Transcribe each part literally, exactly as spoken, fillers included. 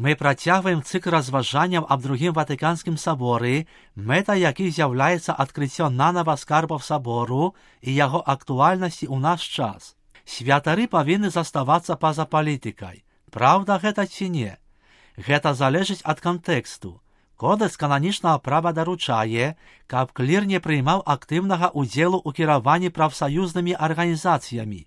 Мы працягваем цыкл разважанняў аб другім Ватыканскім саборы, мэта якіх з'яўляецца адкрыццё нанава скарбаў сабору і яго актуальнасці ў наш час. Святары павінны заставацца па-за палітыкай. Праўда гэта ці не? Гэта залежыць ад кантэксту. Кодэкс кананічнага права даручае, каб клір не прыймаў актыўнага ўдзелу ў кіраванні прафсаюзнымі арганізацыямі.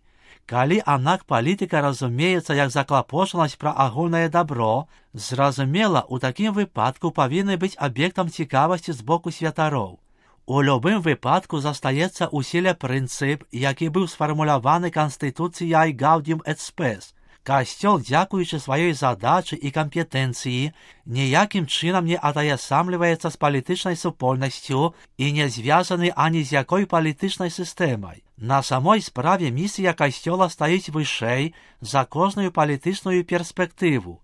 Калі аднак палітыка разумеецца як заклапочанасць пра агульнае дабро, зразумела, у такім выпадку павінны быць аб'ектам цікавасці з боку святароў. У любым выпадку застаецца ў сіле прынцып, які быў сфармуляваны Канстытуцыяй Gaudium et Spes. Касцёл, дзякуючы сваёй задачы і кампетэнцыі, ніякім чынам не атаясамліваецца з палітычнай супольнасцю і не звязаны ані з якой палітычнай сістэмай. На самой справе місія касцёла стаіць вышэй за кожную палітычную перспектыву.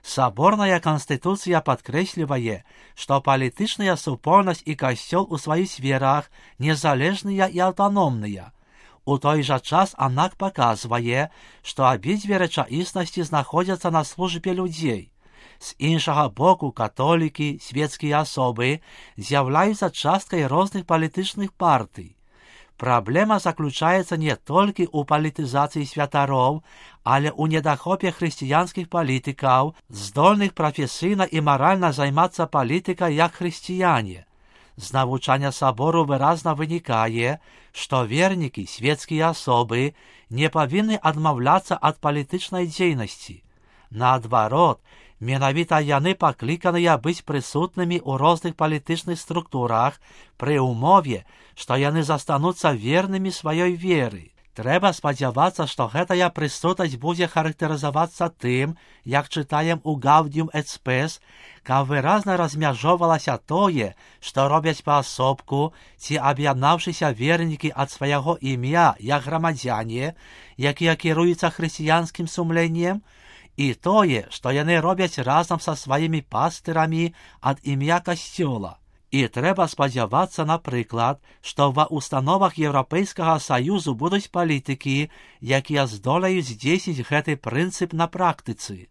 Саборная канстытуцыя падкрэслівае, што палітычная супольнасць і касцёл у сваіх сферах незалежныя і аўтаномныя. У той жа час аднак паказвае, што абедзве рэчаіснасці знаходзяцца на службе людзей. З іншага боку, католікі, свецкія асобы з'яўляюцца часткай розных палітычных партый. Праблема заключаецца не толькі ў палітызацыі святароў, але ў недахопе хрысціянскіх палітыкаў, здольных прафесійна і маральна займацца палітыкай як хрысціяне. З навучання сабору выразна вынікае, што вернікі, свецкія асобы, не павінны адмаўляцца ад палітычнай дзейнасці. Наадварот, менавіта яны пакліканыя быць прысутнымі ў розных палітычных структурах пры ўмове, што яны застануцца вернымі сваёй веры. Трэба спадзявацца, што гэтая прысутнасць будзе характарызавацца тым, як чытаем у Gaudium et Spes, каб выразна размяжоўвалася тое, што робяць паасобку ці аб'яднаўшыся вернікі ад свайго імя як грамадзяне, якія кіруюцца хрысціянскім сумленнем, і тое, што яны робяць разам са сваімі пастырамі ад імя касцёла. І трэба спадзявацца, напрыклад, што ва ўстановах Еўрапейскага Саюзу будуць палітыкі, якія здолеюць здзейсніць гэты прынцып на практыцы.